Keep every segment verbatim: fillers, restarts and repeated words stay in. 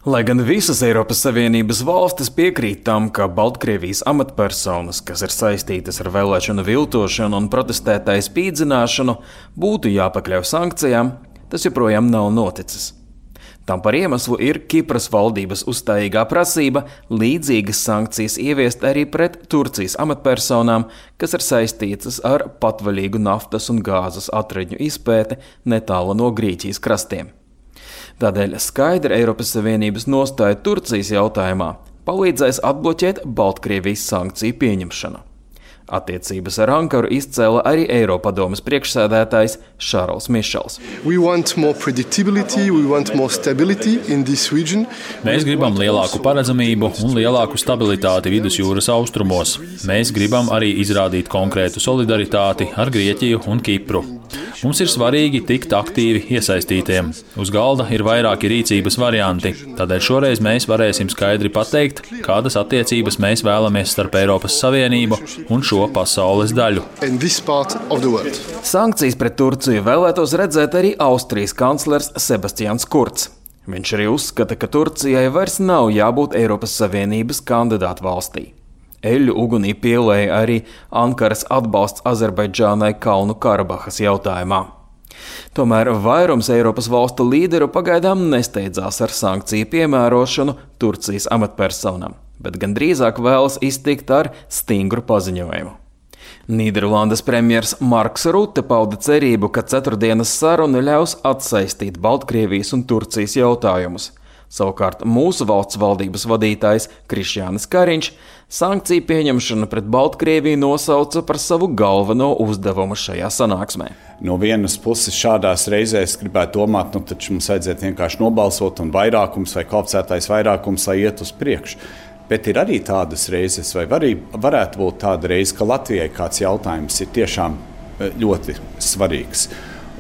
Lai gan visas Eiropas Savienības valstis piekrīt tam, ka Baltkrievijas amatpersonas, kas ir saistītas ar vēlēšanu viltošanu un protestētāju spīdzināšanu, būtu jāpakļauj sankcijām, tas joprojām nav noticis. Tam par iemeslu ir Kipras valdības uzstājīgā prasība līdzīgas sankcijas ieviest arī pret Turcijas amatpersonām, kas ir saistītas ar patvaļīgu naftas un gāzes atradņu izpēti netālu no Grieķijas krastiem. Tādēļ skaidra Eiropas Savienības nostāja Turcijas jautājumā palīdzēs atbloķēt Baltkrievijas sankciju pieņemšanu. Attiecības ar Ankaru izcēla arī Eiropadomes priekšsēdētājs Šarls Mišels. Mēs gribam lielāku paredzamību un lielāku stabilitāti vidusjūras austrumos. Mēs gribam arī izrādīt konkrētu solidaritāti ar Grieķiju un Kipru. Mums ir svarīgi tikt aktīvi iesaistītiem. Uz galda ir vairāki rīcības varianti, tādēļ šoreiz mēs varēsim skaidri pateikt, kādas attiecības mēs vēlamies starp Eiropas Savienību un šo pasaules daļu. Sankcijas pret Turciju vēlētos redzēt arī Austrijas kanclers Sebastians Kurz. Viņš arī uzskata, ka Turcijai vairs nav jābūt Eiropas Savienības kandidātu valstī. Eļļu ugunī pielēja arī Ankaras atbalsts Azerbaidžānai Kalnu Karabahas jautājumā. Tomēr vairums Eiropas valstu līderu pagaidām nesteidzās ar sankciju piemērošanu Turcijas amatpersonām, bet gan drīzāk vēlas iztikt ar stingru paziņojumu. Nīderlandes premjers Marks Rute pauda cerību, ka ceturtdienas saruna ļaus atsaistīt Baltkrievijas un Turcijas jautājumus. Savukārt mūsu valsts valdības vadītājs Krišjānis Kariņš sankciju pieņemšanu pret Baltkrieviju nosauca par savu galveno uzdevumu šajā sanāksmē. No vienas puses šādās reizēs gribētu domāt, nu taču mums vajadzētu vienkārši nobalsot un vairākums vai kvalificētais vairākums, lai iet uz priekšu. Bet ir arī tādas reizes, vai var, varētu būt tāda reize, ka Latvijai kāds jautājums ir tiešām ļoti svarīgs.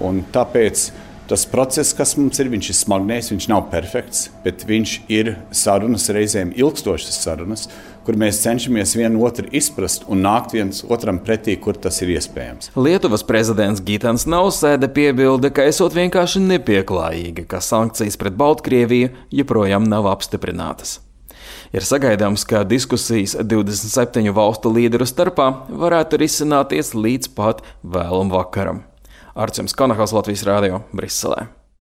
Un tāpēc tas process, kas mums ir, viņš ir smagnējs, viņš nav perfekts, bet viņš ir sarunas, reizēm ilgstošas sarunas, kur mēs cenšamies vienu otru izprast un nākt viens otram pretī, kur tas ir iespējams. Lietuvas prezidents Gitans Nausēda piebilda, ka esot vienkārši nepieklājīgi, ka sankcijas pret Baltkrieviju joprojām nav apstiprinātas. Ir sagaidāms, ka diskusijas divdesmit septiņu valstu līderu starpā varētu risināties līdz pat vēlam vakaram. Arčuns Kanahals, Latvijas Rādio, Briselē.